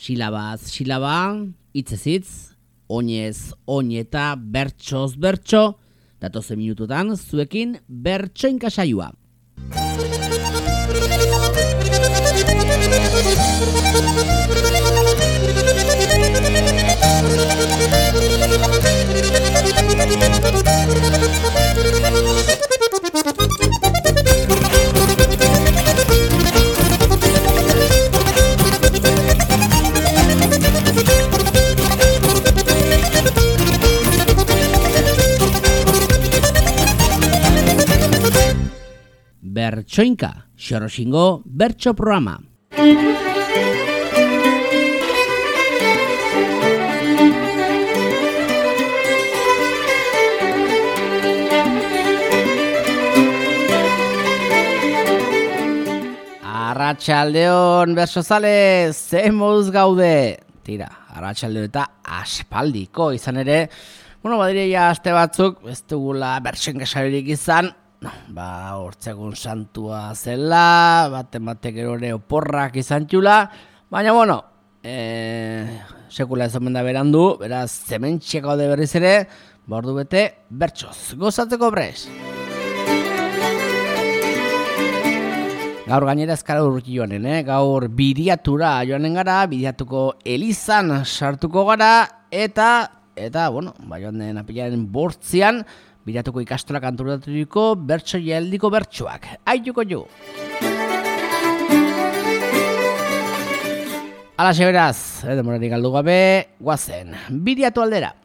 Silabaz silaba, hitzez hitz, oinez oineta, bertsoz bertso, datozen minututan zuekin bertsoinka saioa. Bertsoinka, Xoroxingo bertso programa. Arratsaldeon bertsozale, ze moduz gaude? Tira, arratsaldeo eta aspaldiko izan ere, badireia aste batzuk, ez dugula bertsoinka saiorik izan, hortzegun santua zela, batek erore oporrak izan txula, baina sekula ez omen da berandu, beraz zementxeko de berriz ere, ordu bete bertsoz, gozatzeko prez. Gaur gainera ezkara urruti joanen, gaur Biriatura joanen gara, Biriatuko elizan sartuko gara, eta joan den apilaren 8 Biriatuko ikastolak antolaturiko bertso jaldiko bertsoak. Aituko jo! Alaxe beraz, demorarik galdu gabe, guazen, Biriatu aldera.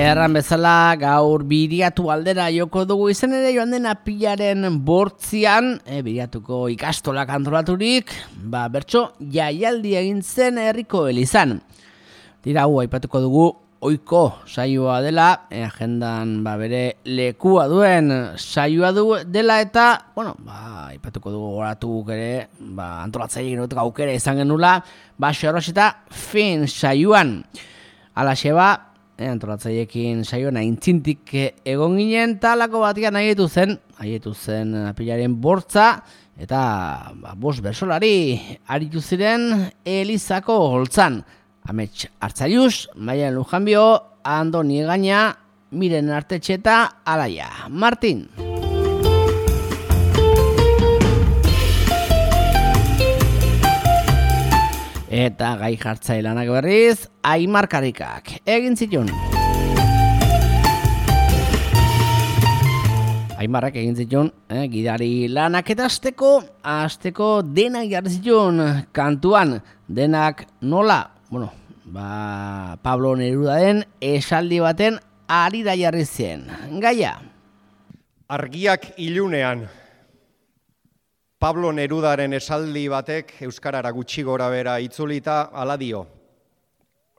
Erran bezala gaur Biriatu aldera joko dugu izan ere joan den apilaren 8 Biriatuko ikastolak antolaturik, bertso jaialdi egin zen herriko elizan. Dira, aipatuko dugu ohiko saioa dela, agendan bere lekua duen saioa dela eta, aipatuko dugu goratu ere, antolatzaile genuteko aukera izan genula, Xorosita fin saioan. Alaxe antolatzaileekin saioan aintzintik egon ginen, talako batian haietu zen apilaren 8 eta 5 bersolari aritu ziren Elizako holtzan. Amets Artzaius, Maialen Lujanbio, Andoni Egaña, Miren Artetxe eta Alaia Martin. Eta gai jartzailanak berriz, Aimar Karikak egin zituen. Aimarrak egin zituen, gidari lanak eta asteko denak jarri zituen kantuan. Denak nola? Pablo Nerudaren esaldi baten harira jarri zen. Gaia. Argiak ilunean. Pablo Nerudaren esaldi batek euskarara gutxi gorabehera itzulita hala dio.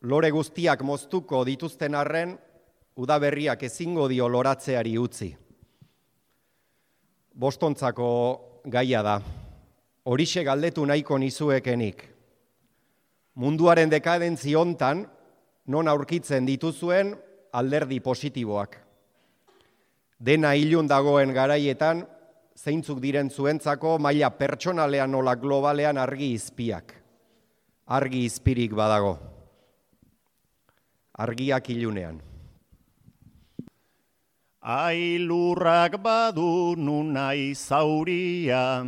Lore guztiak moztuko dituzten arren, udaberriak ezingo dio loratzeari utzi. Bostontzako gaia da. Horixe galdetu nahiko nizuekenik. Munduaren dekadentzi hontan, non aurkitzen dituzuen alderdi positiboak. Dena ilun dagoen garaietan, zeintzuk diren zuentzako maila pertsonalean nola globalean argi izpiak. Argi izpirik badago. Argiak ilunean. Ailurrak badu nunai zauria,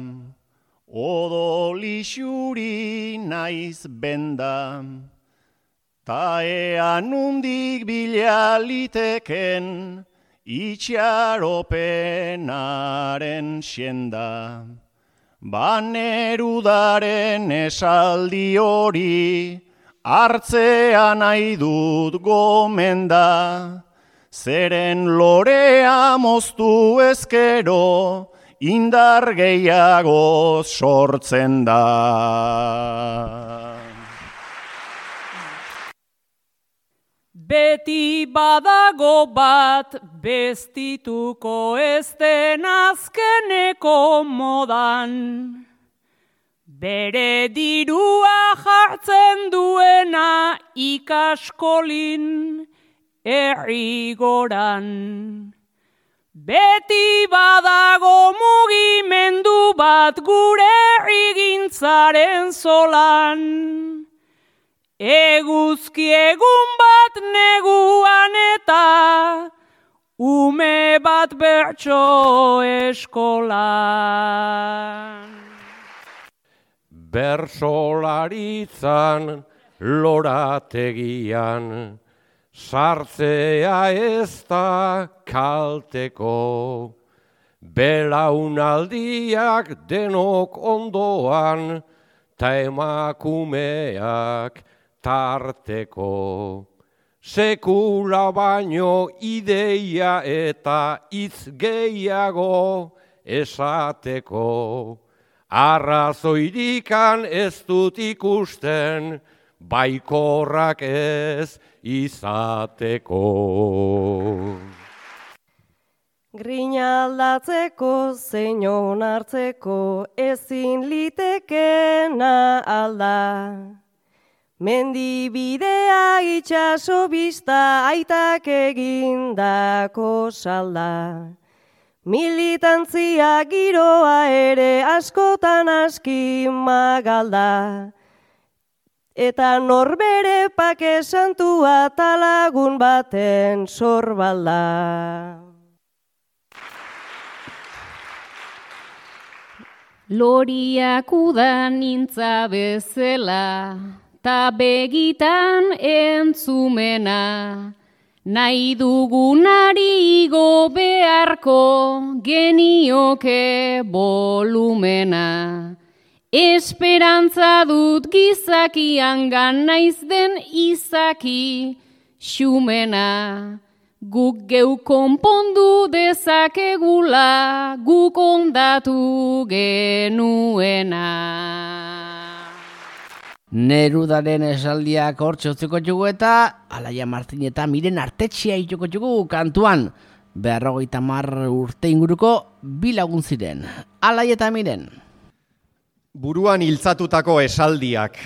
odolixuri naiz benda, ta ean undik bila liteken, itxaropenaren xenda. Banerudaren esaldi hori, hartzea nahi dut gomenda, zeren lorea moztu ezkero, indar gehiago sortzen da. Beti badago bat bestituko ez den azkeneko modan. Bere dirua jartzen duena ikaskolin errigoran. Beti badago mugimendu bat gure egintzaren zolan. Eguzki egun bat neguan eta ume bat bertso eskolan. Bersolaritzan lorategian sartzea ez da kalteko. Belaunaldiak denok ondoan ta emakumeak tarteko. Sekula baino ideia eta hitz gehiago esateko. Arrazoirikan ez dut ikusten, baikorrak ez izateko. Grina aldatzeko, zein onartzeko, ezin litekena alda. Mendibidea itxaso bista aitak egindako salda. Militantzia giroa ere askotan aski magalda. Eta norbere pake santua talagun baten sorbalda. Loriak udan nintza bezala, ta begitan entzumena. Nahi dugunari igo beharko genioke volumena. Esperantza dut gizakian naiz den izaki xumena. Guk geu konpondu dezakegula, guk ondatu genuena. Nerudaren esaldiak hortxe utziko jugu eta Alaia Martin eta Miren Artetxea itxoko jugu kantuan. 50 urte inguruko bi lagun ziren. Alaia eta Miren. Buruan hiltzatutako esaldiak.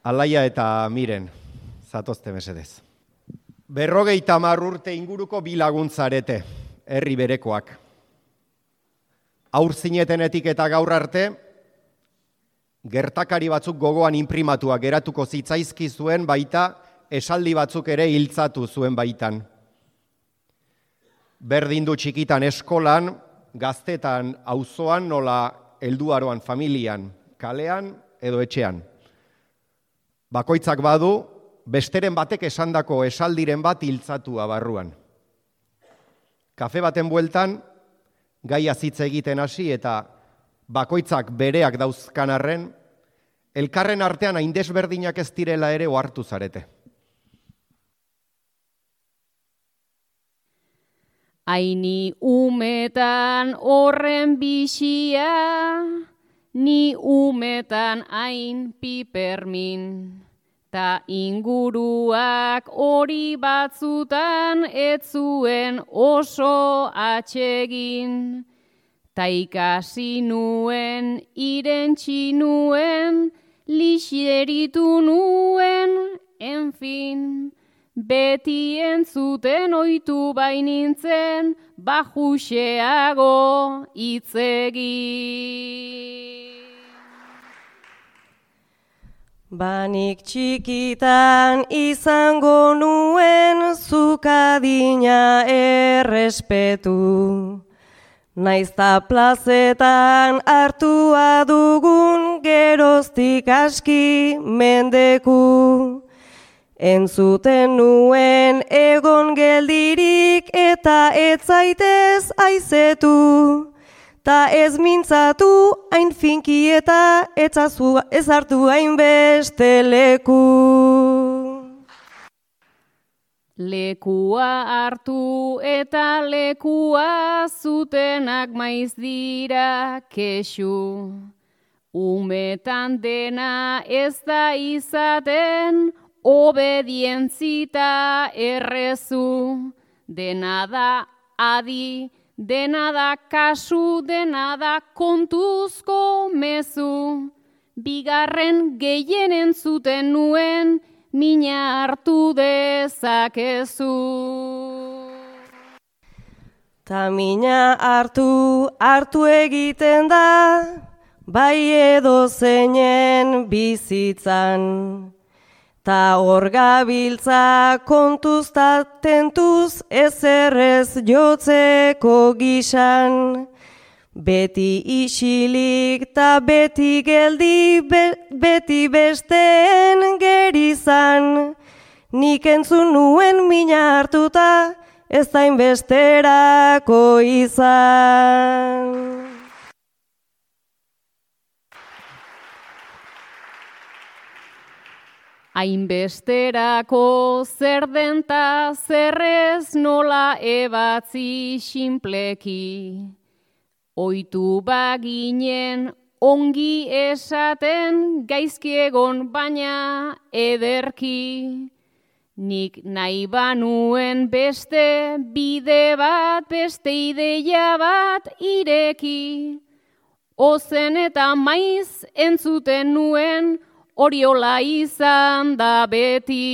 Alaia eta Miren, zatozte mesedez. 50 urte inguruko bi lagun zarete, herri berekoak. Aur zinetenetik eta gaur arte, gertakari batzuk gogoan inprimatuak geratuko zitzaizki zuen baita, esaldi batzuk ere hiltzatu zuen baitan. Berdin du txikitan eskolan, gaztetan auzoan nola helduaroan familian, kalean edo etxean. Bakoitzak badu, besteren batek esandako esaldiren bat hiltzatua barruan. Kafe baten bueltan, gaia hitz egiten hasi eta bakoitzak bereak dauzkan arren, elkarren artean hain desberdinak ez direla ere ohartu zarete. Aini umetan horren bixia, ni umetan hain pipermin. Ta inguruak hori batzutan ez zuen oso atsegin. Ta ikasi nuen, irentsi nuen, lixeritu nuen, enfin. Beti entzuten oitu bainintzen, bajuxeago itzegin. Banik txikitan izango nuen zukadina errespetu. Naizta plazetan hartua dugun geroztik aski mendeku. Entzuten nuen egon geldirik eta ez zaitez aizetu. Ta ez mintzatu hain finki eta ez hartu hainbeste leku. Lekua hartu eta lekua zutenak maiz dira kexu. Umetan dena ez da izaten, obedientzita errezu. Dena da adi, dena da kasu, dena da kontuzko mezu, bigarren gehien entzuten nuen, mina hartu dezakezu. Ta mina hartu egiten da, bai edo zeinen bizitzan. Ta hor gabiltza kontuz ta tentuz ezerrez jotzeko gisan. Beti isilik ta beti geldi, beti besteen gerizan. Nik entzun nuen mina hartuta, ez dain besterako izan. Hainbesterako zer denta zerrez nola ebatzi sinpleki. Oitu baginen ongi esaten gaizki egon baina ederki. Nik nahi banuen beste bide bat, beste ideia bat ireki. Ozen eta maiz entzuten nuen, oriola izan da beti.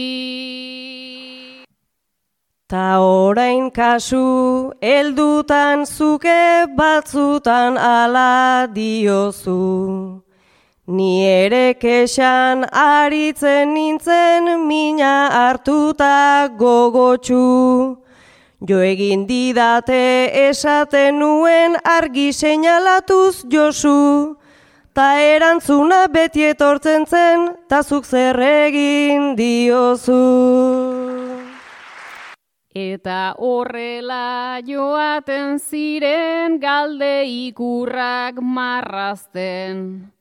Ta orain kasu, heldutan zuke batzutan ala diozu. Ni ere kexan aritzen nintzen mina hartuta gogotsu. Jo egin didate esaten nuen argi seinalatuz Josu. Ta erantzuna beti etortzen zen, ta zuk zer egin diozu. Eta horrela joaten ziren galde ikurrak marrazten.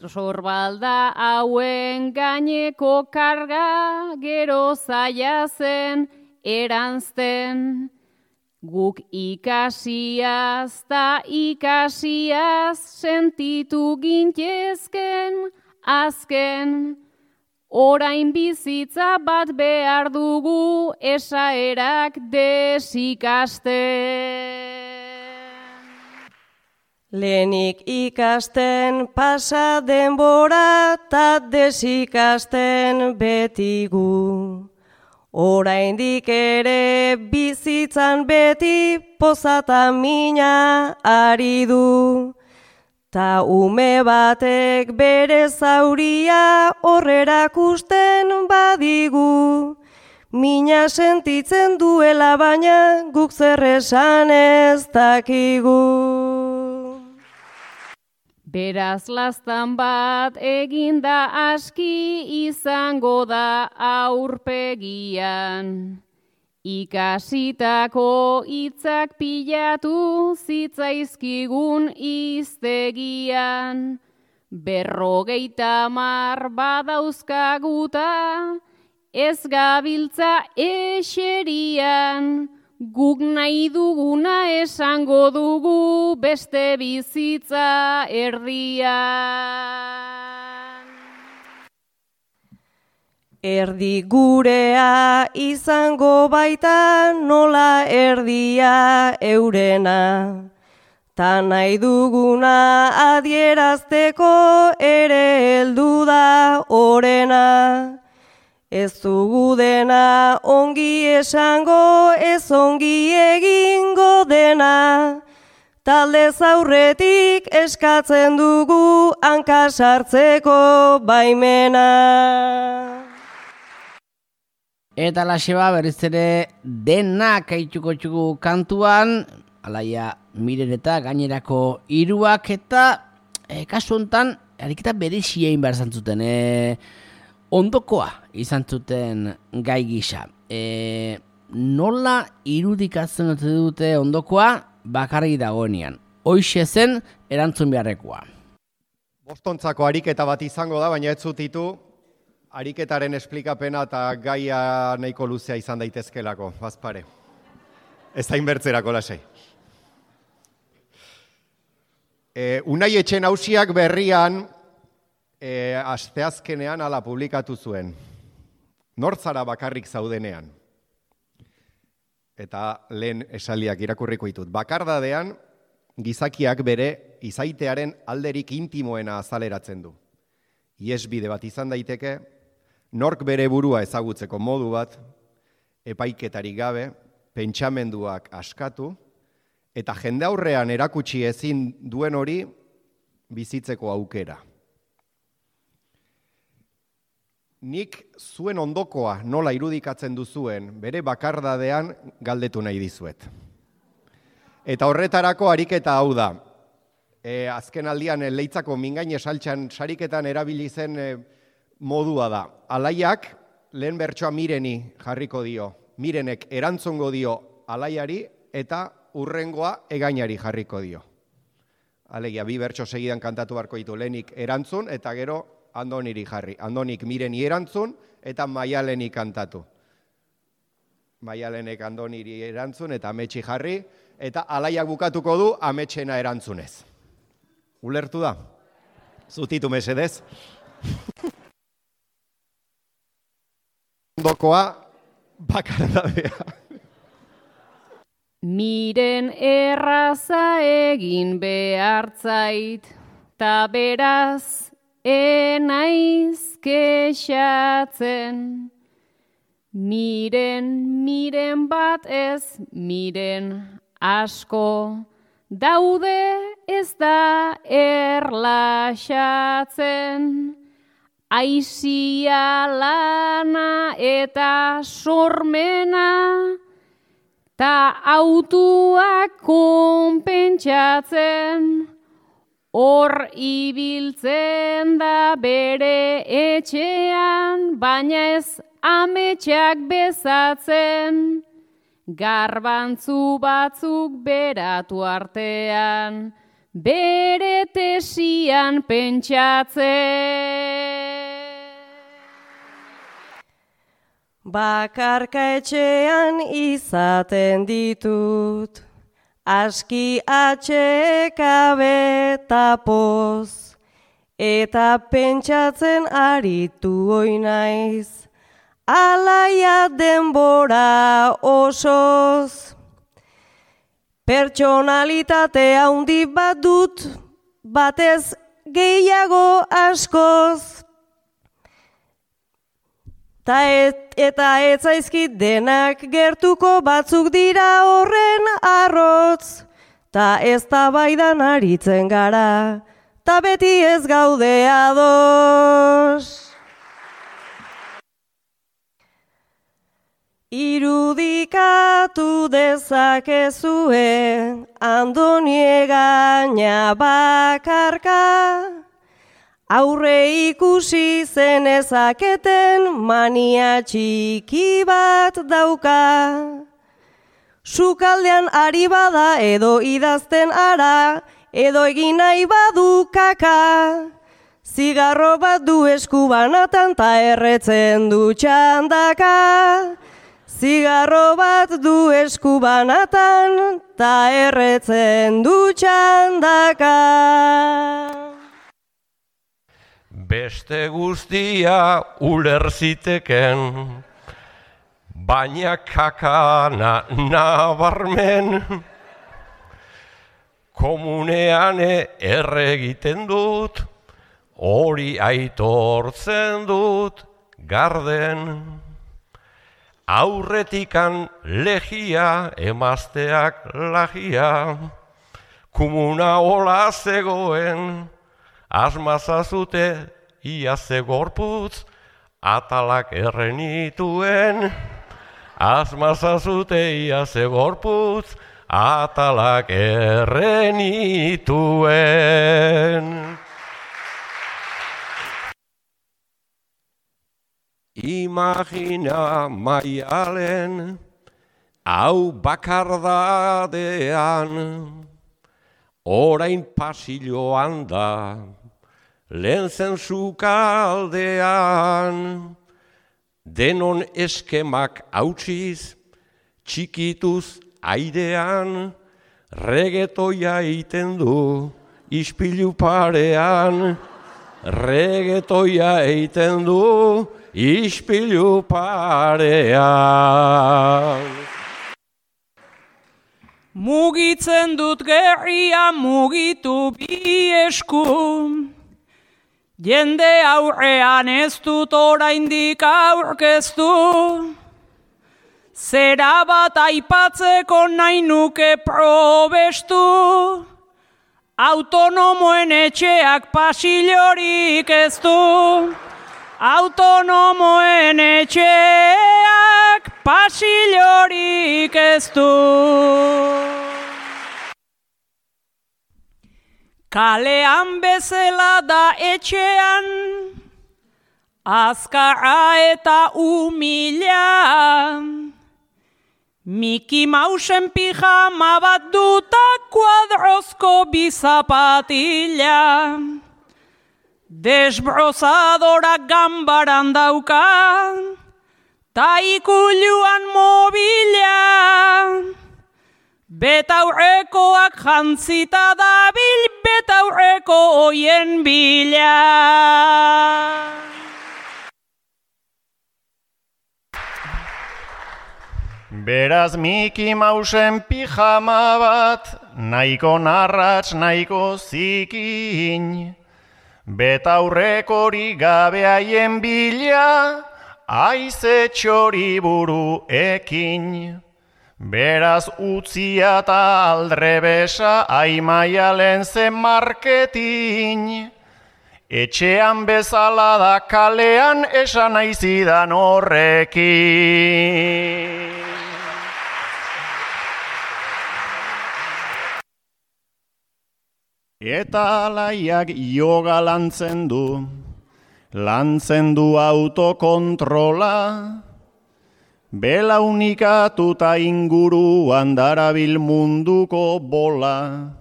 Sorbalda hauen gaineko karga gero zaila zen eranzten. Guk ikasiaz ta ikasiaz sentitu gintezken azken. Orain bizitza bat behar dugu esaerak desikasten. Lehenik ikasten pasa denbora ta desikasten betigu. Oraindik ere bizitzan beti pozata mina ari du. Ta ume batek bere zauria horrerakusten badigu. Mina sentitzen duela baina guk zer esan ez dakigu. Beraz laztan bat eginda aski izango da aurpegian. Ikasitako hitzak pilatu zitzaizkigun hiztegian. 50 badauzkaguta ez gabiltza eserian. Guk nahi duguna esango dugu beste bizitza erdian. Erdi gurea izango baita nola erdia eurena. Ta nahi duguna adierazteko ere heldu da orena. Ez dugu dena ongi esango, ez ongi egingo dena. Talde zaurretik eskatzen dugu hanka sartzeko baimena. Eta laseba berriz ere denak aituko txugu kantuan, alaia Miren eta gainerako hiruak eta kasu hontan ariketa berezia egin behar zantzuten. Ondokoa izan zuten gai gisa. Nola irudikatzen dute ondokoa bakarrik dagoenean. Hoixe zen erantzun beharrekoa. Bostontzako ariketa bat izango da, baina ez zutitu ariketaren esplikapena eta gaia nahiko luzea izan daitezkelako, bazpare. Ez da inbertzerako lasai. Unai Etxe Nausiak berrian asteazkenean hala publikatu zuen. Nortzara bakarrik zaudenean. eta lehen esaldiak irakurriko ditut. Bakardadean, gizakiak bere izaitearen alderik intimoena azaleratzen du. Iesbide bat izan daiteke, nork bere burua ezagutzeko modu bat, epaiketarik gabe, pentsamenduak askatu, eta jende aurrean erakutsi ezin duen hori bizitzeko aukera. Nik zuen ondokoa nola irudikatzen duzuen, bere bakardadean galdetu nahi dizuet. Eta horretarako ariketa hau da. Azken aldian Leitzako mingaine saltxan sariketan erabili zen modua da. Alaiak lehen bertsoa Mireni jarriko dio. Mirenek erantzongo dio alaiari eta hurrengoa Egainari jarriko dio. Alegia, bi bertso segidan kantatu beharko ditu, lehenik erantzun eta gero Andoniri jarri. Andonik Mireni erantzun eta Maialeni kantatu. Maialenek Andoniri erantzun eta Ametsi jarri, eta alaiak bukatuko du Ametsena erantzunez. Ulertu da? Zutitu mesedez. Ondokoa bakardadea. Miren erraza egin behartzait, ta beraz enaiz kexatzen. Miren bat ez, miren asko, daude ez da erlaxatzen. Aizia lana eta sormena, ta autuak konpentsatzen. Hor ibiltzen da bere etxean, baina ez ametsak bezatzen. Garbantzu batzuk beratu artean, bere tesian pentsatzen. Bakarka etxean izaten ditut, aski atxekabe eta poz, eta pentsatzen aritu oinaiz, alaia denbora osoz. Pertsonalitate handi bat dut, batez gehiago askoz. Eta ez zaizkit denak gertuko, batzuk dira horren arrotz. Ta ez tabaidan aritzen gara, ta beti ez gaude ados. Irudikatu dezakezue Andoni Egaina bakarka, aurre ikusi zenezaketen mania txiki bat dauka. Sukaldean ari bada edo idazten ara, edo egin nahi badu kaka. Zigarro bat du eskubanatan ta erretzen du txandaka. Zigarro bat du eskubanatan ta erretzen du txandaka. Beste guztia ulerziteken, baina kakana nabarmen. Komunean erregiten dut, hori aitortzen dut garden. Aurretikan legia, emazteak lagia, komuna hola zegoen, asmazazute ia ze gorputz, atalak errenituen. Asmazazute ia ze gorputz, atalak errenituen. Imagina Maialen, hau bakardadean, orain pasilloan da, lehen zen sukaldean, denon eskemak hautsiz, txikituz airean, regetoia egiten du ispilu parean, regetoia egiten du ispilu parean. Mugitzen dut gerria mugitu bi esku, jende aurrean ez dut oraindik aurkeztu, zera bat aipatzeko nahi nuke probestu, autonomoen etxeak pasillorik ez du, autonomoen etxeak pasillorik ez du. Kalean bezala da etxean, azkarra eta umila, Miki Mausen pijama bat duta kuadrozko bizapatila, desbrozadorak ganbaran dauka, ta ikuluan mobila, betaurrekoak jantzita dabil, betaurreko oien bila. Beraz Miki Mausen pijama bat, nahiko narratz, nahiko zikin, betaurrekori gabe haien bila, aize txori buru ekin. Beraz utzia eta aldrebesa, Aimaialen zen marketin. Etxean bezala da kalean, esan aizidan horrekin. Eta alaiak yoga lantzen du autokontrola, belaunikatuta inguruan darabil munduko bola,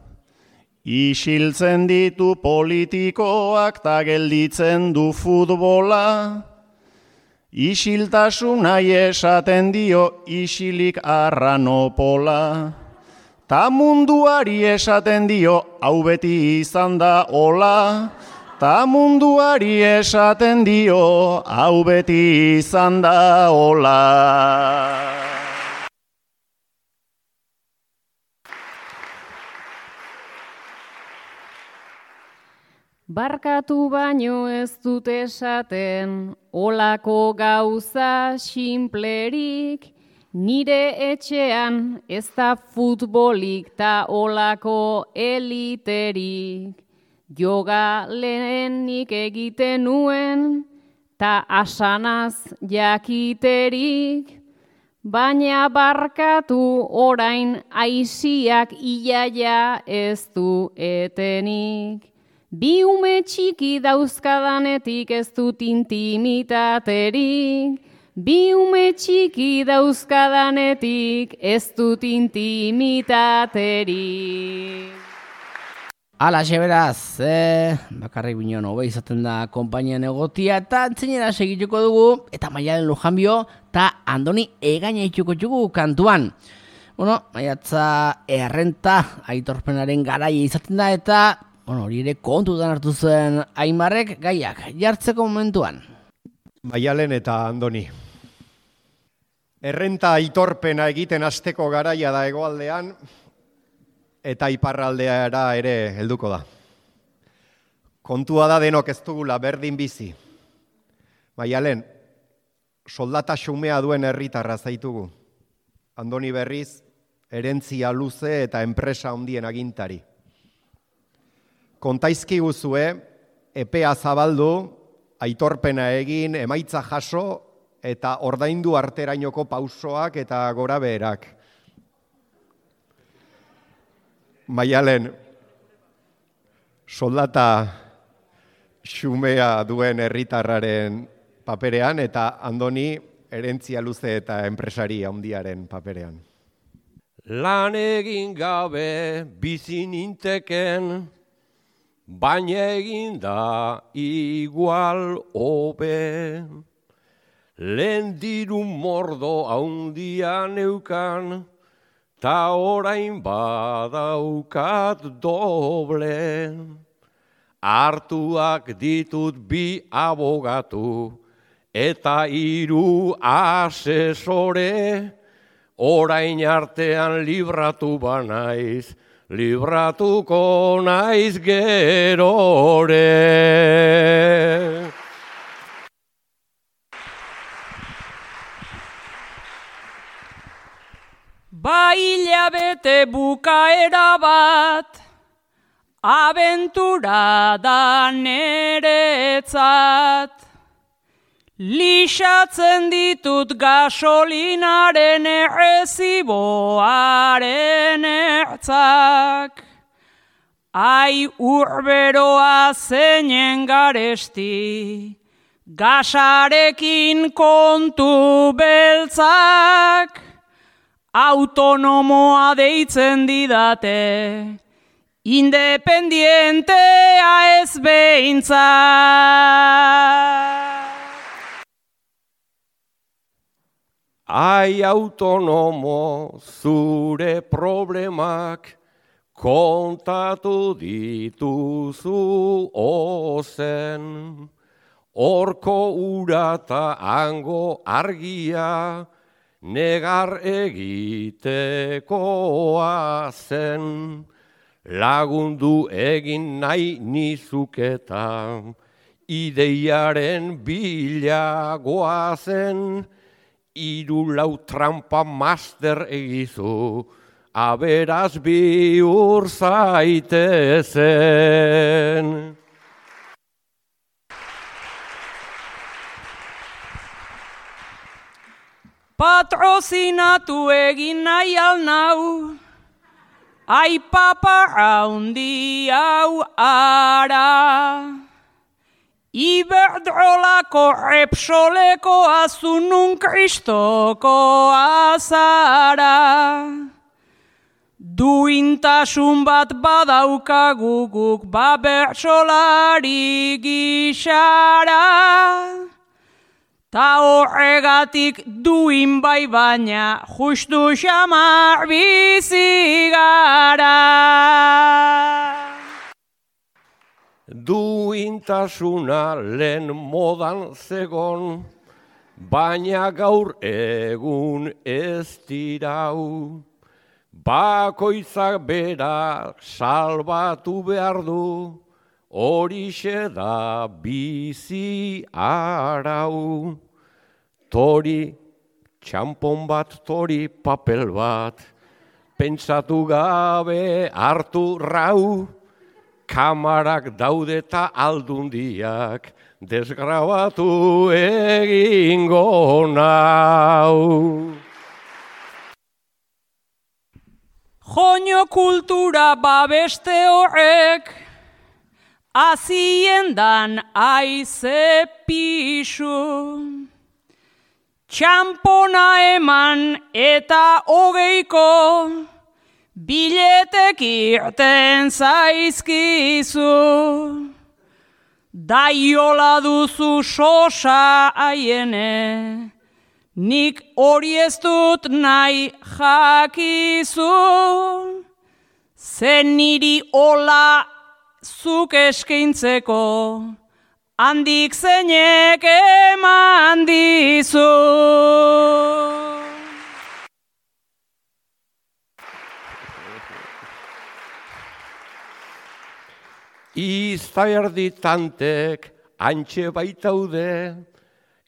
isiltzen ditu politikoak ta gelditzen du futbola, isiltasuna esaten dio isilik arranopola. Ta munduari esaten dio, hau beti izan da hola. Ta munduari esaten dio, hau beti izan da hola. Barkatu baino ez dut esaten, olako gauza sinplerik, nire etxean ez da futbolik ta olako eliterik. Yoga lehenik egiten nuen ta asanaz jakiterik. Baina barkatu orain aiziak iaia ez du etenik. Bi ume txiki dauzkadanetik ez dut intimitaterik. Bi ume txiki dauzkadanetik ez dut intimitaterik. Alaxe beraz, bakarrik bineon hobe izaten da konpainian egotia eta antzinera segituko dugu eta Maialen Lujanbio eta Andoni Egaña ituko txugu kantuan. Bueno, maiatza errenta aitorpenaren garaia izaten da eta hori ere kontutan hartu zen Aimarrek gaiak jartzeko momentuan. Maialen eta Andoni. Errenta aitorpena egiten hasteko garaia da hegoaldean eta iparraldeara ere helduko da. Kontua da denok ez dugula berdin bizi. Maialen, soldata xumea duen herritarra zaitugu. Andoni berriz, herentzia luze eta enpresa handien agintari. Kontaizkiguzue, epea zabaldu, aitorpena egin, emaitza jaso eta ordaindu arterainoko pausoak eta gorabeherak. Maialen, soldata xumea duen herritarraren paperean eta Andoni herentzia luze eta enpresari handiaren paperean. Lan egin gabe bizi ninteken, baina egin da igual hobe. Lehen diru mordo handia neukan, ta orain badaukat doble. Hartuak ditut bi abogatu eta 3 asesore, orain artean libratu banaiz, libratuko naiz gerore. Hilabete bukaera bat, abentura da neretzat. Lixatzen ditut gasolinaren erreziboaren ertzak. Ai urberoa zeinen garesti, gasarekin kontu beltzak. Autonomoa deitzen didate, independientea ez behintzat. Ai autonomo, zure problemak kontatu dituzu ozen. Horko ura ta hango argia, negar egitekoa zen, lagundu egin nahi nizuketa, ideiaren bilagoa zen, 3 trampa master egizu, aberaz bihur zaitezen. Patrozinatu egin nahi alnau, ai papa haundi hau ara. Iberdrolako Repsoleko azunun kristoko azara. Duintasun bat badaukagu guk bertsolari gixara. Ta horregatik duin bai baina justu xamar bizi gara. Duintasuna lehen modan zegon, baina gaur egun ez dirau. Bakoitzak bera salbatu behar du, horixe da bizi arau. Tori, txampon bat, tori papel bat, pentsatu gabe hartu rau, kamarak daude eta aldundiak, desgrabatu egingo nau. Joño kultura babeste horrek, aziendan aize pisu. Txampona eman eta 20ko biletek irten zaizkizu. Daiola duzu sosa aiene, nik hori ez dut nahi jakizu. Zen niri hola zuk eskaintzeko, handik zeinek eman dizu. Iztaerditantek antxe baitaude,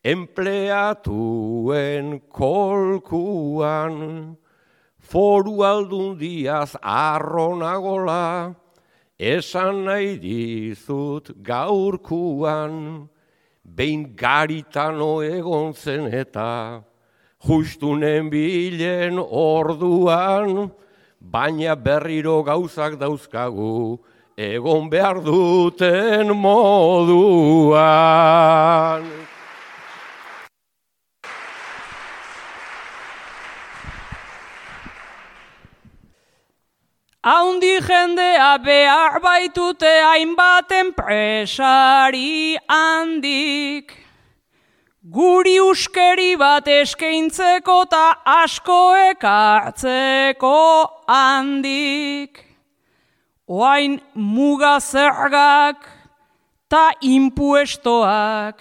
empleatuen kolkuan, foru aldundiaz arronagola, esan nahi dizut gaurkuan, behin garitano egon zen eta justunen bilen orduan, baina berriro gauzak dauzkagu, egon behar duten moduan. Haundi jendea behar baitute hainbat enpresari handik. Guri uskeri bat eskaintzeko ta asko ekartzeko handik. Oain muga zergak ta impuestoak,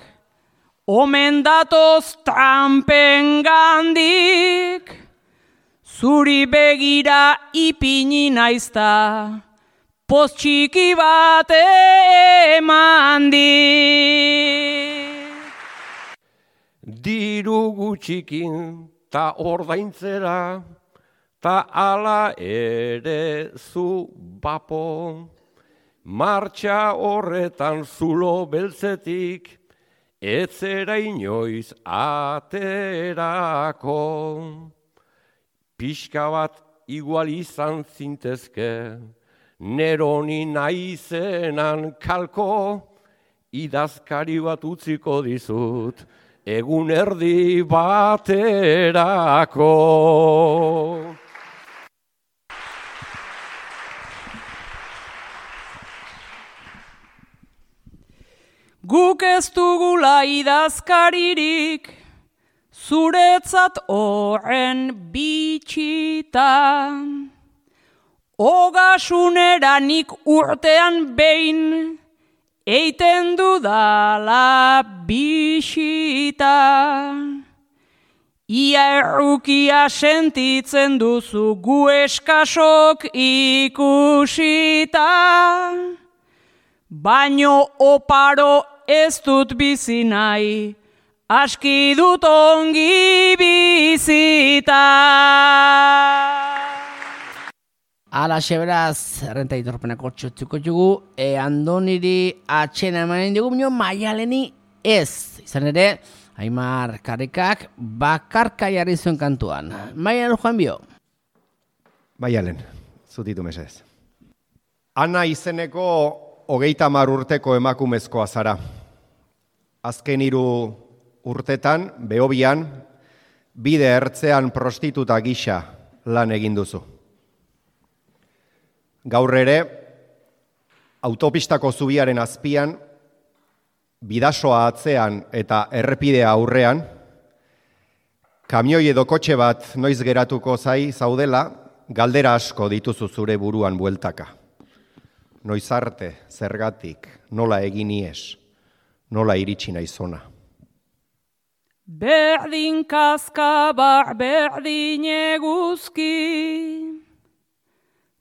omen datoz Trumpen gandik. Zuri begira ipini naizta, poz txiki bat eman dit. Diru gutxikin ta ordaintzera, ta ala ere zu bapo. Martxa horretan zulo beltzetik, etzera inoiz aterako. Pixka bat igual izan zintezke, neroni naizenan kalko, idazkari bat utziko dizut, egun erdi baterako. Guk ez dugula idazkaririk, zuretzat horren bitxita. Ogasunera nik urtean behin, eiten dudala bisita. Ia errukia sentitzen duzu gu eskasok ikusita. Baino oparo ez dut bizi nahi, aski dut ongi bizita. Ala beraz, errenta itorpenako txotzuko jugu, Andoniri atxena emanen dugu, bineo Maialeni ez. Izan ere, Aimar Karikak bakarka jarri zuen kantuan. Maialen joan bio. Maialen, zutitu mesez. Ana izeneko 30 urteko emakumezkoa zara. Azken 3 urtetan, Behobian, bide ertzean prostituta gisa lan egin duzu. Gaur ere, autopistako zubiaren azpian, bidasoa atzean eta errepidea aurrean, kamioi edo kotxe bat noiz geratuko zaudela, galdera asko dituzu zure buruan bueltaka. Noiz arte, zergatik, nola egin ies, nola iritsi naizona. Berdin kaskabar, berdin eguzki,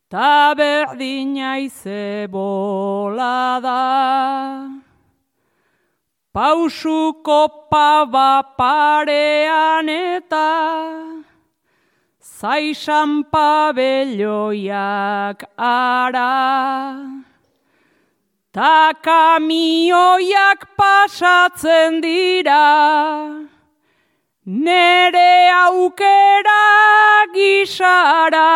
ta berdin aize bolada. Pausuko paba parean eta zaisan pabelloiak ara. Ta kamioiak pasatzen dira, nere aukera gisara.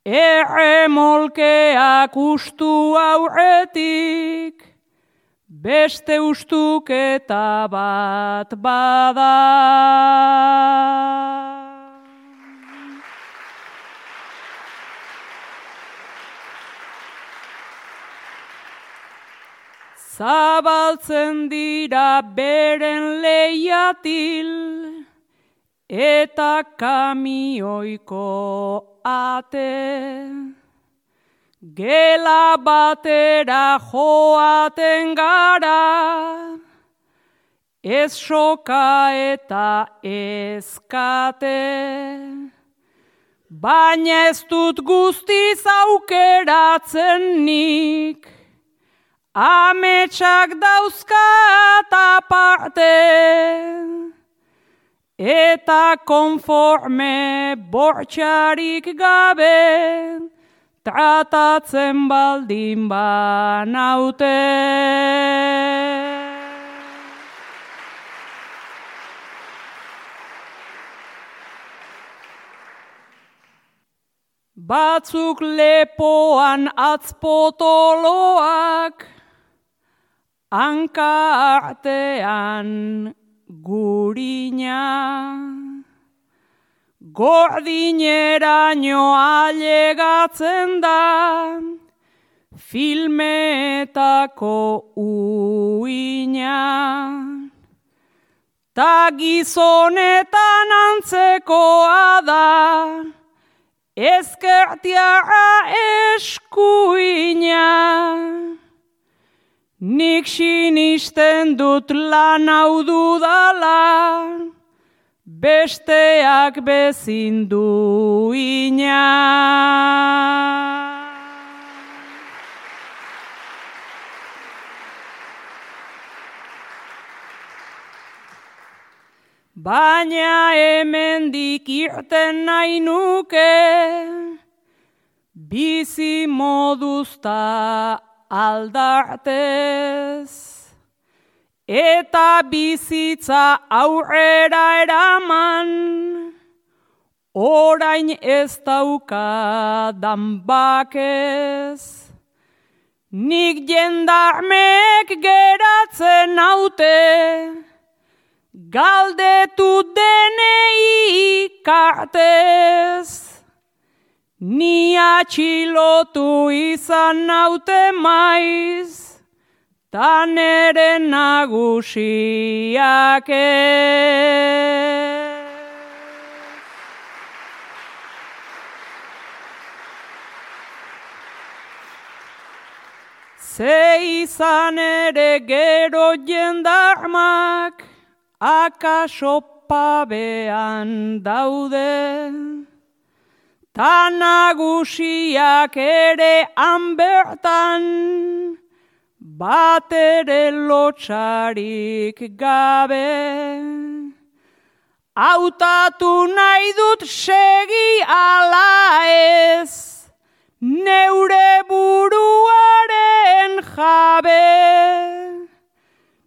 Erremolkeak ustu aurretik, beste ustuketa bat bada. Zabaltzen dira beren leiatil, eta kamioiko ate. Gela batera joaten gara, ez soka eta ez kate. Baina ez dut guztiz aukeratzen nik, ametsak dauzkat aparte. Eta konforme bortxarik gabe, tratatzen baldin banaute. Batzuk lepoan atzpotoloak, hanka artean gurina. Gordineraino ailegatzen da, filmetako uina. Ta gizonetan antzekoa da, ezkertiara eskuina. Nik sinisten dut lan hau dudala, besteak bezin duina. Baina hemendik irten nahi nuke, bizi moduzta aldartez, eta bizitza aurrera eraman, orain ez daukadan bakez. Nik jendarmek geratzen naute, galdetu denei kartez, ni atxilotu izan naute maiz, ta nere nagusiak ez. Ze izan ere gero jendarmak, akaso pabean daude, ta nagusiak ere hanbertan, bat ere lotxarik gabe. Hautatu nahi dut segi ala ez, neure buruaren jabe.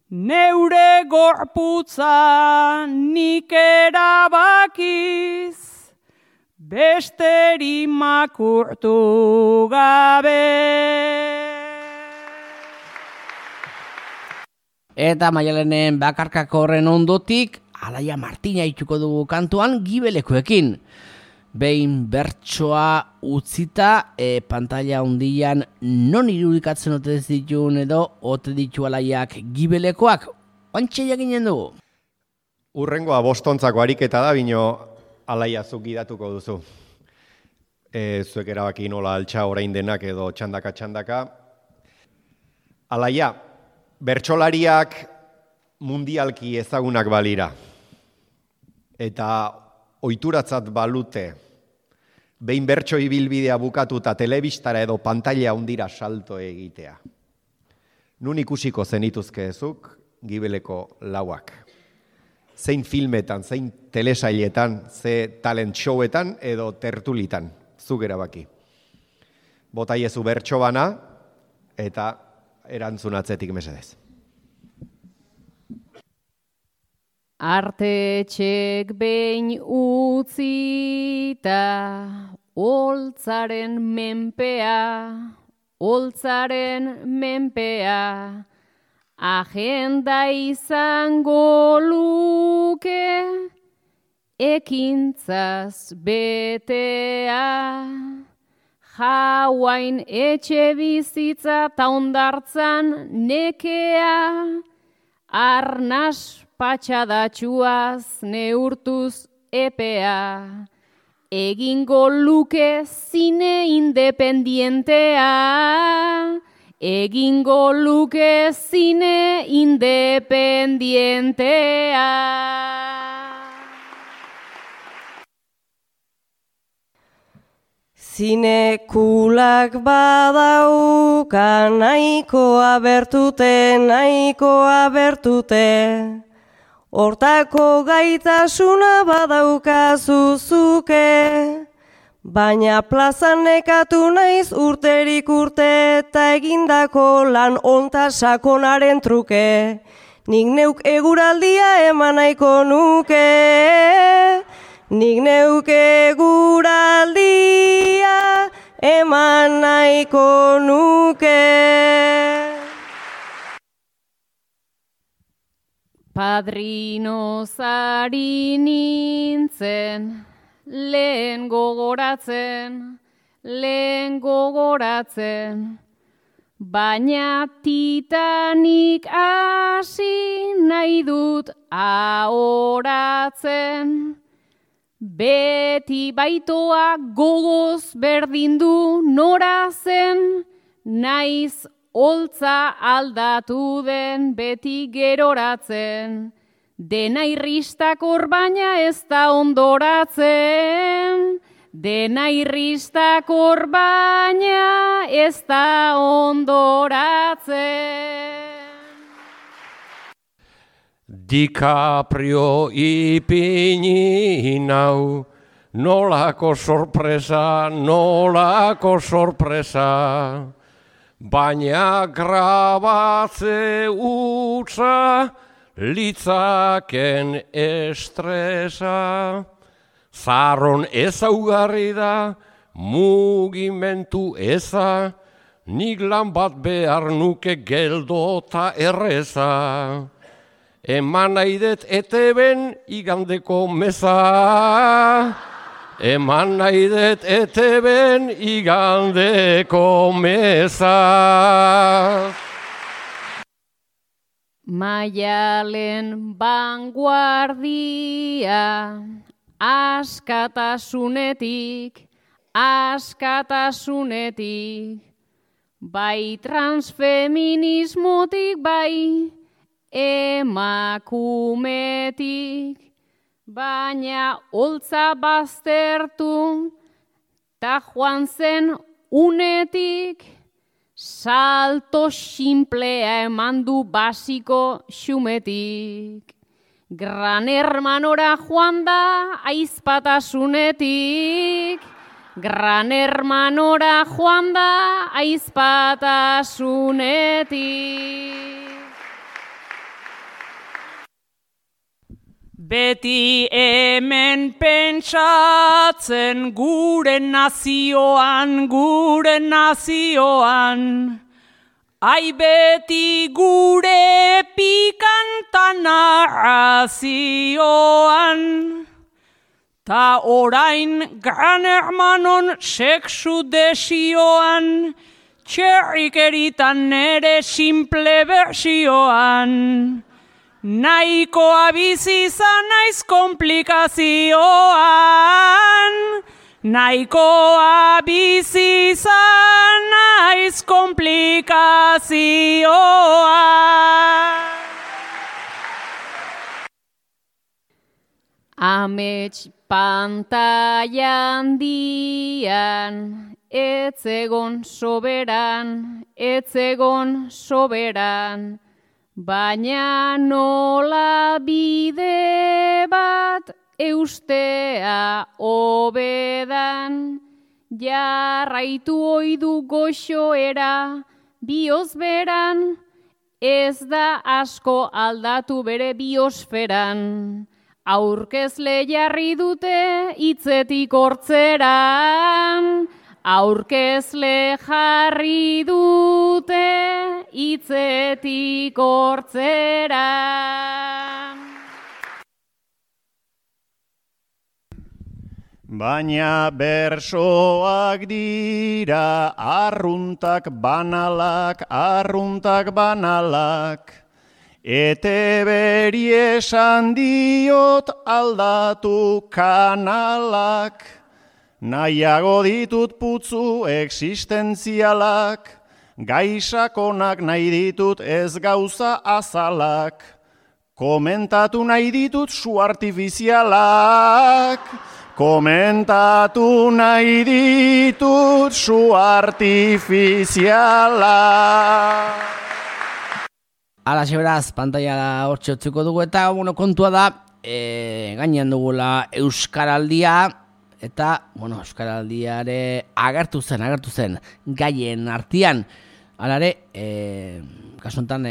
Neure gorputza nik erabakiz, besteri makurtu gabe. Eta Maialenen bakarkako horren ondotik, Alaia Martina itxuko dugu kantuan gibelekoekin. Behin bertsoa utzita, pantalla hundian non irudikatzen ote dituen edo ote ditu Alaiak gibelekoak, ontxe jakinen dugu. Urrengoa bostontzako ariketa da, bino Alaia zuk gidatuko duzu. Zuek erabaki nola altxa orain denak edo txandaka. Alaia, bertsolariak mundialki ezagunak balira. Eta ohituratzat balute, behin bertso ibilbidea bukatuta telebistara edo pantalla hundira salto egitea. Nun ikusiko zenituzke ezuk, gibeleko lauak. Zein filmetan, zein telesailetan, ze talent showetan edo tertulitan, zuk erabaki. Botaiezu bertso bana eta erantzun atzetik mesedez. Artetxek behin utzita, holtzaren menpea, agenda izango luke, ekintzaz betea. Jauain etxe bizitza ta hondartzan nekea, arnas patxadatxuaz neurtuz epea, egingo luke zine independientea, egingo luke zine independientea. Zinekulak badauka nahikoa bertute, hortako gaitasuna badaukazu zuke, baina plazan nekatu naiz urterik urte eta egindako lan onta sakonaren truke, nik neuk eguraldia eman nahiko nuke. Nik neuke guraldia eman nahiko nuke. Padrinozari nintzen, lehen gogoratzen, baina Titanik hasi nahi dut ahoratzen. Beti baitoa gogoz berdin du nora zen, naiz holtza aldatu den beti geroratzen. Dena irristakor baina ez da ondoratzen. Dena irristakor baina ez da ondoratzen. DiCaprio ipini nau, nolako sorpresa, baina grabatze utza, litzaken estresa. Zarron ezaugarri da, mugimentu eza, nik lan bat behar nuke geldota erreza. Eman naidet eteben igandeko meza. Eman naidet eteben igandeko meza. Maialen vanguardia, askatasunetik, bai transfeminismotik, bai emakumetik, baina holtza baztertu, ta joan zen unetik, salto simplea eman du basiko xumetik. Gran hermanora joan da aizpatasunetik, Gran hermanora joan da aizpatasunetik. Beti hemen pentsatzen gure nazioan, ai beti gure pikantan narrazioan. Ta orain Gran Hermanon sexu desioan, txerrikeritan nere simple versioan. Nahikoa bizi izan naiz komplikazioan, nahikoa bizi izan naiz komplikazioan. Amets pantailan dian, etzegon soberan, baina nola bide bat eustea hobedan, jarraitu oidu goxoera biosberan, ez da asko aldatu bere biosferan. Aurkezle jarri dute hitzetik hortzeran, aurkezle jarri dute hitzetik hortzeran. Baina bersoak dira arruntak banalak, eteberi esan diot aldatu kanalak, nahiago ditut putzu existentzialak, gaisakonak nahi ditut ez gauza azalak, komentatu nahi ditut su artifizialak, komentatu nahi ditut su artifizialak. Alaxe beraz, pantaila hortxe utzuko dugu eta kontua da, gainean dugula Euskaraldia, eta, Euskaraldiare agertu zen, gaien artean. Alare, kasu honetan,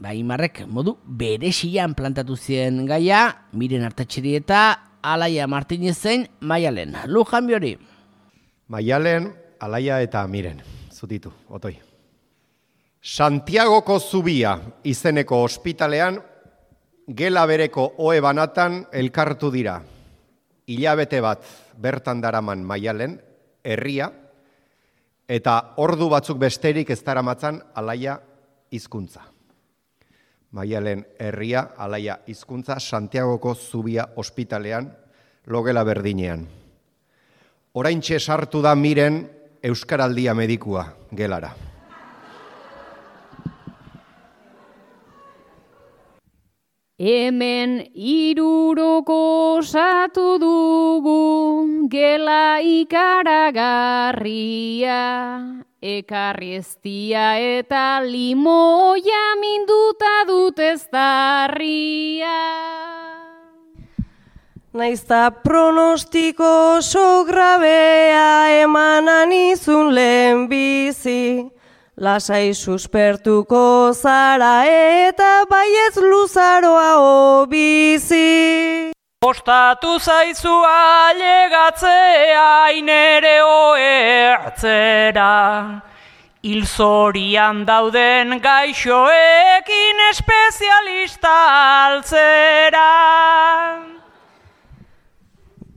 Imarrek modu beresian plantatu zien gaia, Miren Artatxeri eta Alaia Martinezen Maialen. Lujan biori. Maialen, Alaia eta Miren, zutitu, otoi. Santiagoko Zubia izeneko ospitalean, gela bereko ohe banatan elkartu dira. Hilabete bat bertan daraman Maialen, herria, eta ordu batzuk besterik ez daramatzan Alaia hizkuntza. Maialen herria, Alaia hizkuntza, Santiagoko Zubia ospitalean, logela berdinean. Oraintxe sartu da Miren Euskaraldia medikua gelara. Hemen 300 osatu dugu gela ikaragarria, ekarri eztia eta limoia minduta dut eztarria. Naizta pronostiko oso grabea emanan izun lehenbizi, lasai suspertuko zara eta baietz luzaroa obizi. Kostatu zaizu ailegatzea inere oertzera, hil zorian dauden gaixoekin espezialista altzera.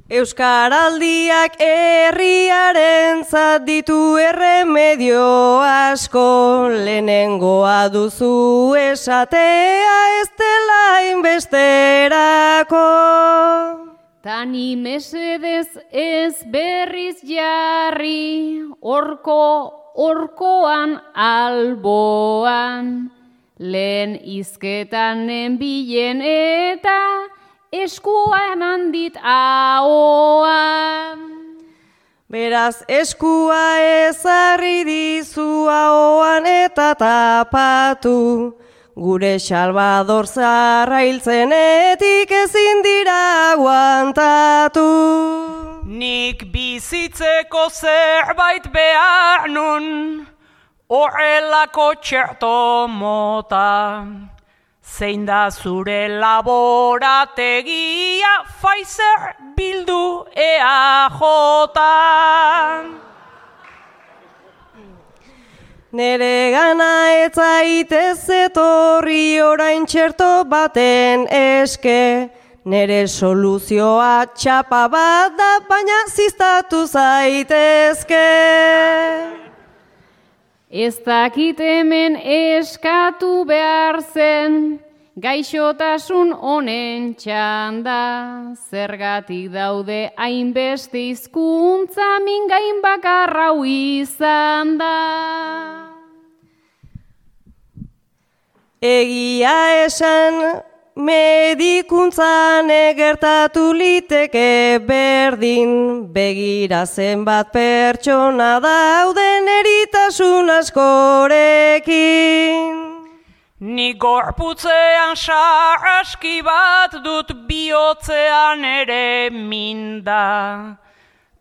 Euskaraldiak herriarentzat ditu erremedio asko, lehenengoa duzu esatea ez dela inbesterako. Tani mesedez ez berriz jarri, orkoan alboan, lehen izketan nenbilen eta eskua eman dit ahoan. Beraz eskua ezarri dizu ahoan eta tapatu, gure Salvador zaharra hiltzenetik ezin dira aguantatu. Nik bizitzeko zerbait behar nun, horrelako txerto mota. Zein da zure laborategia, Pfizer, Bildu, EAJ. Nere gana ez zaitez etorri orain txerto baten eske, nere soluzioa txapa bat da, baina ziztatu zaitezke. Ez dakit hemen eskatu behar zen, gaixotasun honen txanda, zergatik daude hainbeste hizkuntza mingain bakarrau izan da. Egia esan, medikuntzan gertatu liteke berdin, begira zenbat pertsona dauden eritasun askorekin. Ni gorputzean sarraski bat dut, bihotzean ere minda.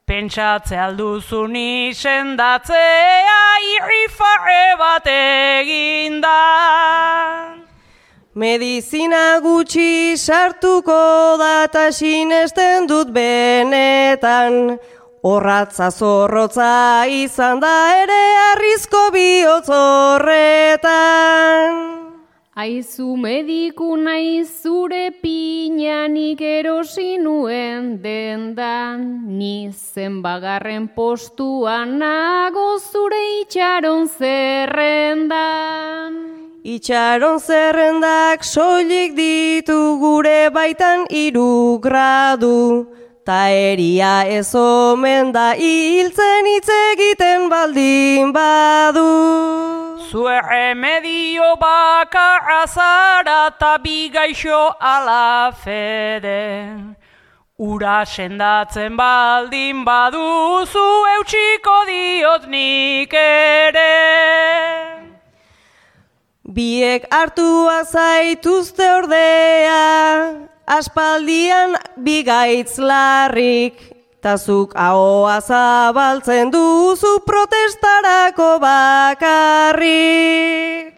Pentsatze alduzu ni sendatzea irrifarre bat eginda. Medizina gutxi sartuko da eta sinesten dut benetan, horratza zorrotza izan da ere arrizko bihotz horretan. Aizu mediku naiz zure pinanik erosi nuen dendan, ni zenbagarren postuan nago zure itxaron zerrendan. Itxaron zerrendak soilik ditu gure baitan 3 gradu, ta eria ez omen da hiltzen hitz egiten baldin badu. Zue remedio bakarra zara ta bi gaixo ala fede. Ura sendatzen baldin baduzu eutsiko diot nik ere. Biek hartua zaituzte ordea, aspaldian bigaitz larrik, tazuk ahoa zabaltzen duzu protestarako bakarrik.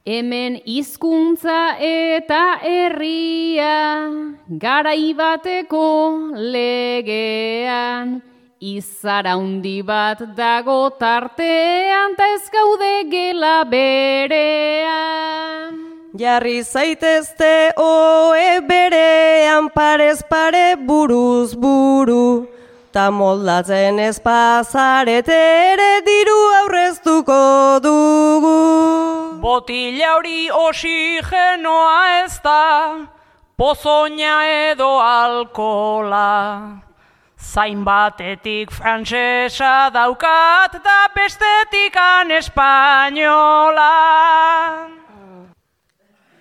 Hemen hizkuntza eta herria, garai bateko legean, izara handi bat dago tartean, ta ez gaude gela berean. Jarri zaitezte oe berean, parez pare buruz buru, ta moldatzen ez pasarete ere diru aurreztuko dugu. Botila hori oxigenoa ez da, pozoina edo alkola. Zain batetik frantsesa daukat da bestetikan espainola.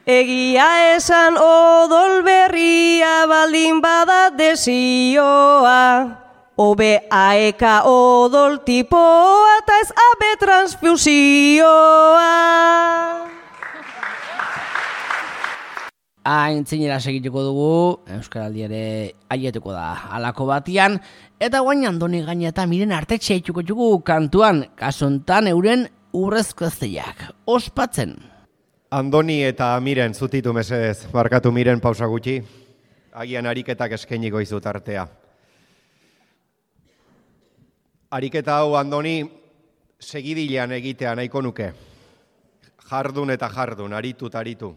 Egia esan odol berria baldin bada desioa. Obe aeka odol tipoa eta ez abe transfusioa. Aintzinera segituko dugu, Euskaraldi ere aietuko da halako batian, eta guain Andoni Gaina eta Miren Artetxe itxuko txugu kantuan, kasontan euren urrezko ezteiak, ospatzen. Andoni eta Miren, zutitu mesedez, barkatu Miren pausa gutxi, agian ariketak eskainiko izut artea. Ariketa hau Andoni segidilean egitea nahiko nuke, jardun eta jardun, aritu eta aritu.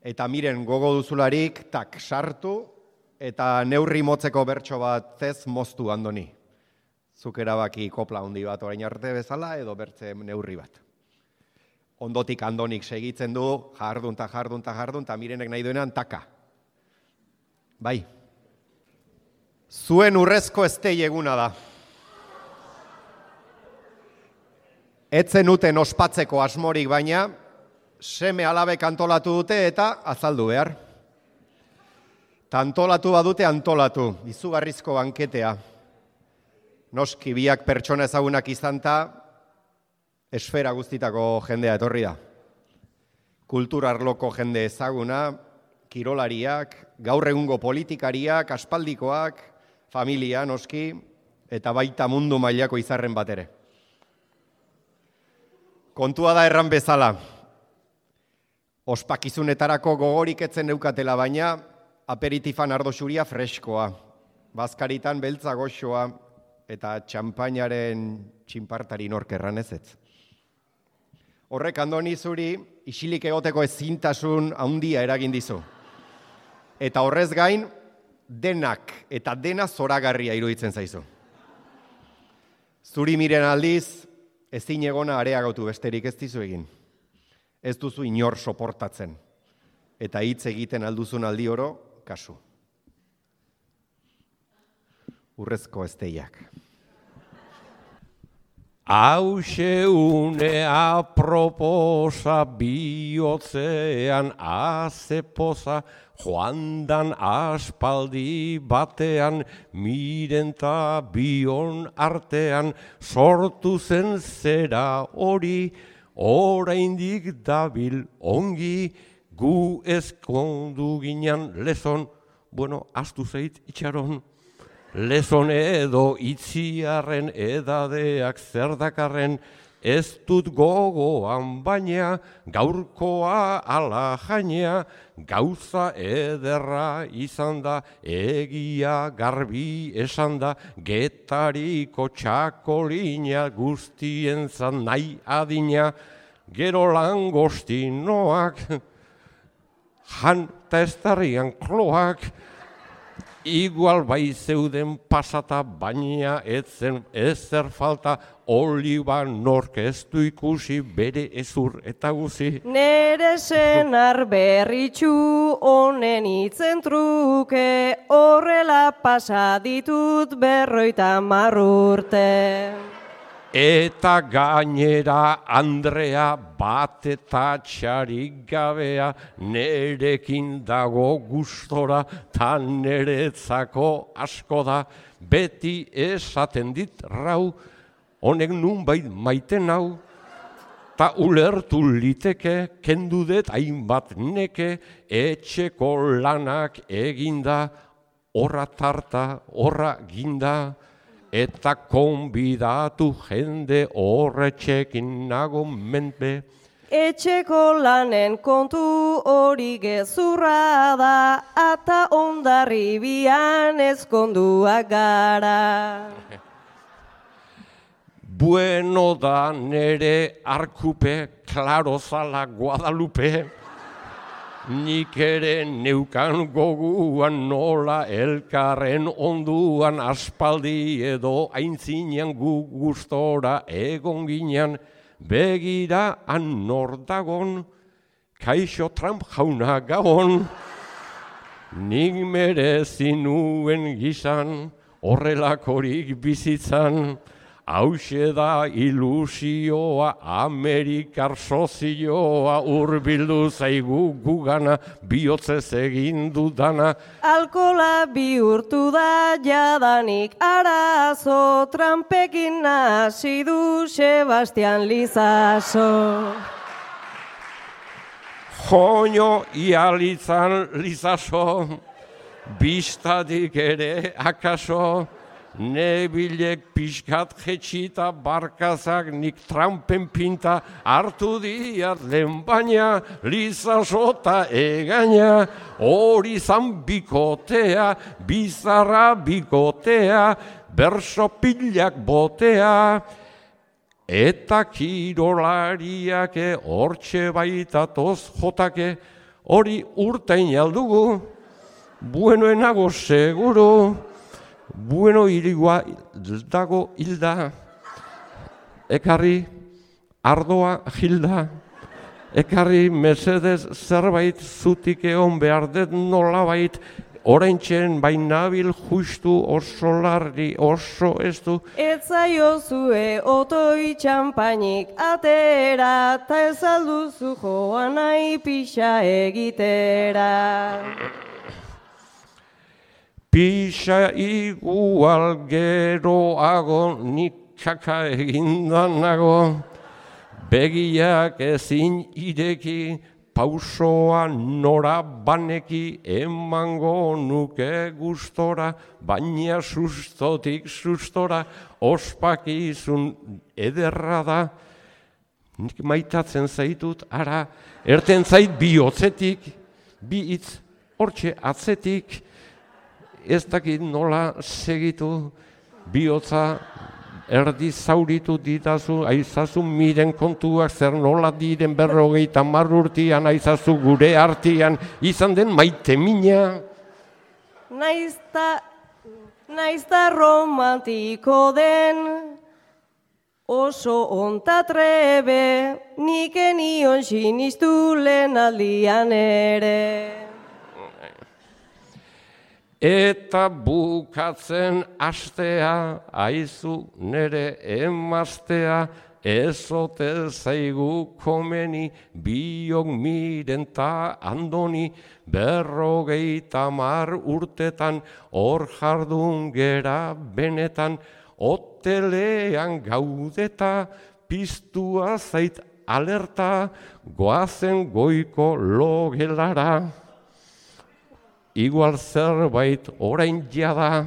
Eta Miren gogo duzularik, tak, sartu, eta neurri motzeko bertso bat ez moztu Andoni. Zuk erabaki kopla handi bat orain arte bezala, edo bertze neurri bat. Ondotik Andonik segitzen du, jardun, eta Mirenek nahi duenan taka. Bai. Zuen urrezko eztei eguna da. Etzen uten ospatzeko asmorik baina, seme alabek antolatu dute eta azaldu behar. Antolatu badute antolatu, izugarrizko banketea. Noski biak pertsona ezagunak izanta, esfera guztitako jendea etorri da. Kulturarloko jende ezaguna, kirolariak, gaur egungo politikariak, aspaldikoak, familia noski, eta baita mundu mailako izarren bat ere. Kontua da erran bezala. Ospakizunetarako gogorik etzen neukatela baina, aperitifan ardo xuria freskoa, bazkaritan beltza goxoa, eta txampainaren txinpartari nork erran ezetz. Horrek Andoni zuri, isilik egoteko ezintasun handia eragin dizu. Eta horrez gain, denak eta dena zoragarria iruditzen zaizu. Zuri Miren aldiz, ezin egona areagotu besterik ez dizu egin. Ez duzu inor soportatzen. Eta hitz egiten alduzun aldi oro, kasu. Urrezko ezteiak. Hauxe une aproposa bihotzean azepoza, joandan aspaldi batean, Miren ta bion artean, sortu zen zera hori, oraindik dabil ongi, gu ezkondu ginen lezon, bueno, astu zeit itxaron. Lezon edo itziarren edadeak zerdakarren, ez dut gogoan baina, gaurkoa ala jainea, gauza ederra izan da, egia garbi esan da, Getariko txakolina guztien zan nahi adina, gero langostinoak, jan eta ez darrian kloak, igual bai zeuden pasata, baina etzen ezer falta, oliba nork ez du ikusi bere ezur eta guzi. Nere senar berritxu honen itzen truke, horrela pasa ditut 50 urte. Eta gainera Andrea bat eta txarik gabea, nerekin dago gustora, ta neretzako asko da, beti esaten dit rau, honek nunbait maiten hau, ta ulertu liteke, kendu dut hainbat neke, etxeko lanak eginda, horra tarta, horra ginda, eta konbidatu jende horretxekin nago menpe. Etxeko lanen kontu hori gezurra da, ata Hondarribian ezkonduak gara. Bueno da nere arkupe, klaro zala Guadalupe, nik ere neukan goguan nola elkarren onduan, aspaldi edo aintzinean gu gustora egon ginean, begira nor dagon, kaixo Trump jauna gabon, nik merezi nuen gizan, horrelakorik bizitzan, hauxe da ilusioa, Amerikar sozioa, urbildu zaigu gugana, bihotzez egin dudana. Alkola bihurtu da jadanik arazo, trampekin hasi du Sebastian Lizaso. Joño ialitzan Lizaso, bistadik ere akaso, nebilek pixkat jetxita barkazak nik trampen pinta hartu diat lehen baina Lizaso eta egaina, hori zan bikotea, bizarra bikotea, berso pilak botea, eta kirolariake hortxe baitatoz jotake, hori urtain aldugu, buenoenago seguru, bueno irigua dago hilda, ekarri ardoa hilda, ekarri mesedez zerbait zutik egon behar dut nolabait, oraintxen bainabil justu oso larri oso ez du. Ez zaiozue otoi txampainik atera, ta ez alduzu joan nahi pixa egitera. Pixa igual geroago nik kaka egindanago, begiak ezin ireki, pausoa nora baneki, emango nuke gustora, baina sustotik sustora, ospakizun ederra da. Nik maitatzen zaitut, ara, erten zait bihotzetik, bi hitz hortxe atzetik, ez dakit nola segitu, bihotza erdi zauritu ditazu, aizazu miren kontuak zer nola diren 50 urtean, aizazu gure artean izan den maite mina. Naizta romantiko den, oso onta trebe, nik enion sinistu lehen aldian ere. Eta bukatzen astea, aizu nere emaztea, ezote zaigu komeni, biok miren ta andoni, 50 urtetan, hor jardun gera benetan, hotelean gaudeta, piztua zait alerta, goazen goiko logelara. Igual zerbait orain jada,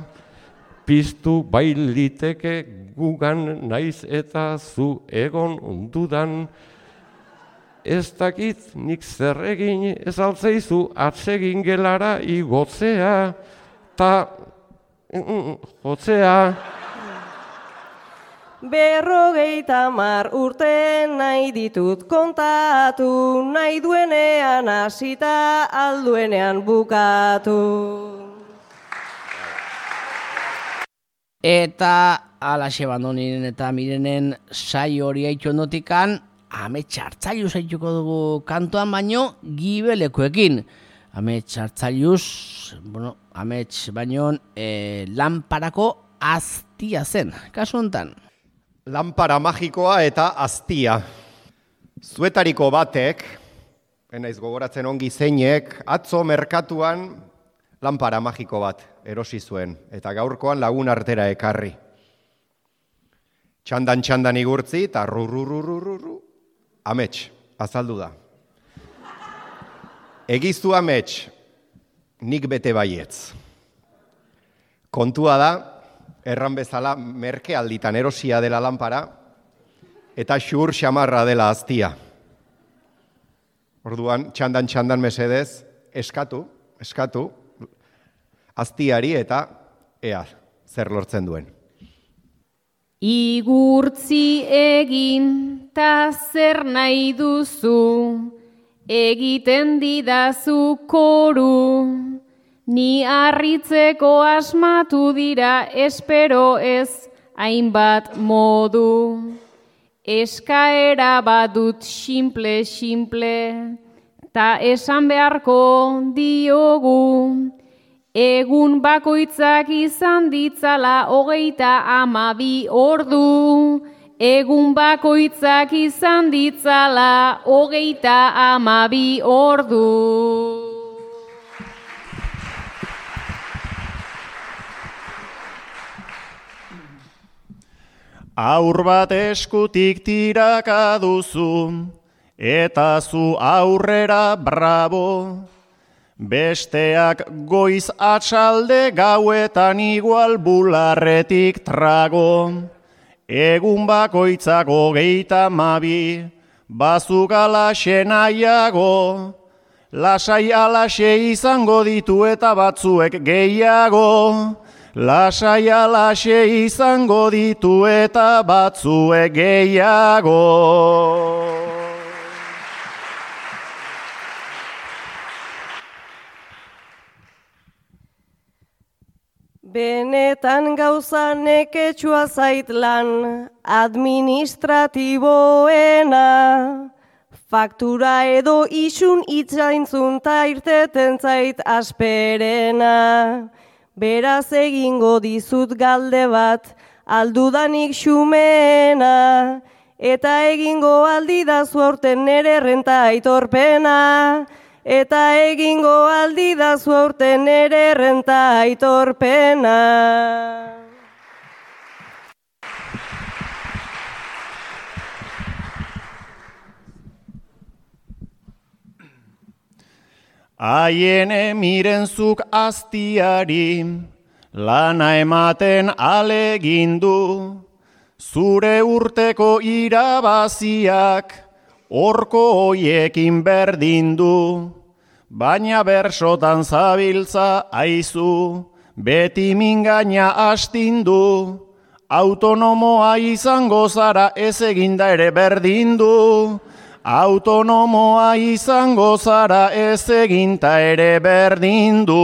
piztu bailiteke gugan naiz eta zu egon dudan. Ez dakit nik zer egin ez altzeizu atsegin gelara igotzea, ta jotzea. 50 urte nahi ditut kontatu, nahi duenean hasita alduenean bukatu. Eta alaxe bandonin eta mirenen saio hori haitu ondotikan, amets hartzailuz haituko dugu kantoan baino gibelekoekin. Amets hartzailuz, amets baino lanparako aztia zen, kasu hontan. Lanpara magikoa eta aztia. Zuetariko batek, enaiz gogoratzen ongi zeinek, atzo merkatuan lanpara magiko bat erosi zuen, eta gaurkoan lagun artera ekarri. Txandan igurtzi, eta rurrurrurrurru, amets, azaldu da. Egizu amets, nik bete baietz. Kontua da, erran bezala merke alditan erosia dela lanpara, eta xur xamarra dela aztia. Orduan, txandan mesedez, eskatu, aztiari eta ea, zer lortzen duen. Igurtzi egin, ta zer nahi duzu, egiten didazu koru, ni harritzeko asmatu dira, espero ez hainbat modu. Eskaera badut simple, ta esan beharko diogu, Egun bakoitzak izan ditzala 32 ordu. Egun bakoitzak izan ditzala 32 ordu. Aur bat eskutik tiraka duzu, eta zu aurrera bravo. Besteak goiz atxalde gauetan igual bularretik trago. Egun bakoitzak 32, bazuk alaxe nahiago. Lasai alaxe izango ditu eta batzuek gehiago. Lasai alaxe izango ditu eta batzuek gehiago. Benetan gauza neketsua zait lan administratiboena. Faktura edo isun itzaintzun ta irteten zait asperena. Beraz egingo dizut galde bat, aldudanik xumeena, eta egingo aldidazu aurten nere renta aitorpena, eta egingo aldidazu aurten nere renta aitorpena. Aiene mirenzuk aztiari, lana ematen alegindu, zure urteko irabaziak, horko hoiekin berdindu, baina bersotan zabiltza aizu, beti mingaina astindu, autonomoa izango zara ez eginda ere berdindu, autonomoa izango zara ez eginta ere berdindu.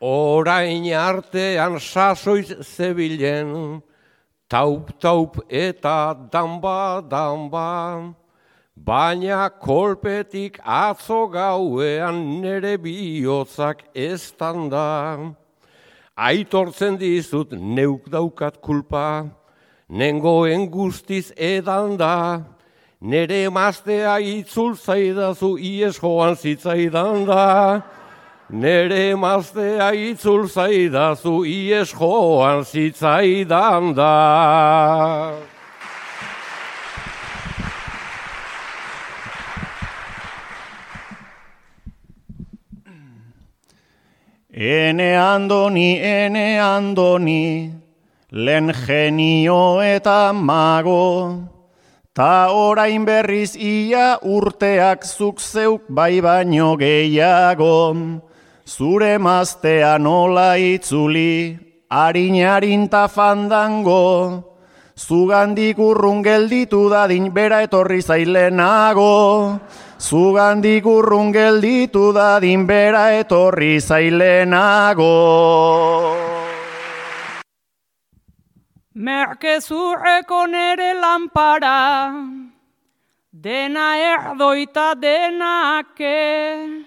Orain artean sasoiz zebilen, taup eta danba, baina kolpetik atzo gauean nere bihotzak eztan da. Aitortzen dizut neuk daukat kulpa, nengoen guztiz edan da, nere emaztea itzul zaidazu ies joan zitzaidan da. Nere emaztea itzul zaidazu ies joan zitzaidan da. Ene andoni, lehen genio eta mago, ta orain berriz ia urteak zuk zeuk bai baino gehiago, zure maztea nola itzuli, harin ta fandango, zugandik urrun gelditu dadin bera etorri zailenago, zugandik urrun gelditu dadin bera etorri zailenago. Merkezurreko nere lanpara, dena erdoita denake,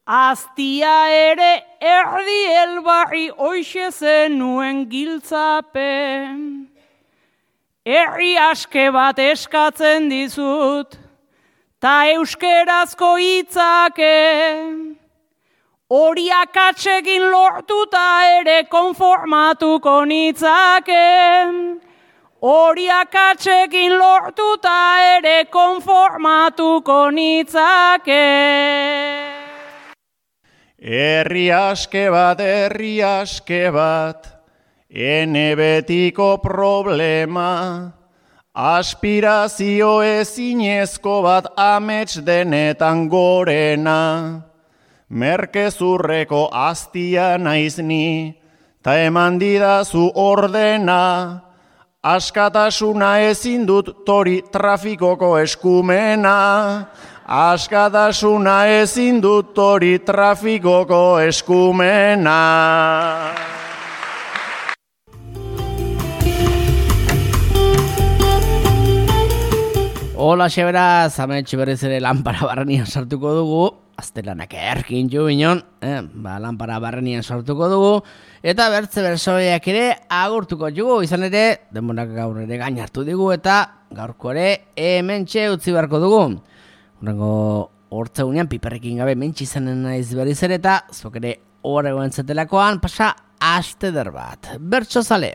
aztia ere erdi elbarri hoixe zenuen giltzapen. Herri aske bat eskatzen dizut, ta euskerazko hitzake, hori akatsekin lortuta ere konformatuko nitzake, hori akatsekin lortuta ere konformatuko nitzake. Herri aske bat, ene betiko problema, aspirazio ezinezko bat amets denetan gorena. Merkezurreko aztia naiz ni, ta eman didazu ordena, askatasuna ezin dut tori trafikoko eskumena, askatasuna ezin dut tori trafikoko eskumena. Hola xebera, zametxe berriz ere lanpara barrenian sartuko dugu, aztelanak erkin jo binon, lanpara barrenian sartuko dugu, eta bertze bersoiak ere agurtuko dugu, izan ere, denborak gaur ere gain hartu digu, eta gaurko ere hementxe utzi beharko dugu. Horrengo hortzeunean piperrekin gabe mentxe izanen naiz berriz ere, eta zuk ere horrego entzatelakoan pasa aste der bat. Bertso zale!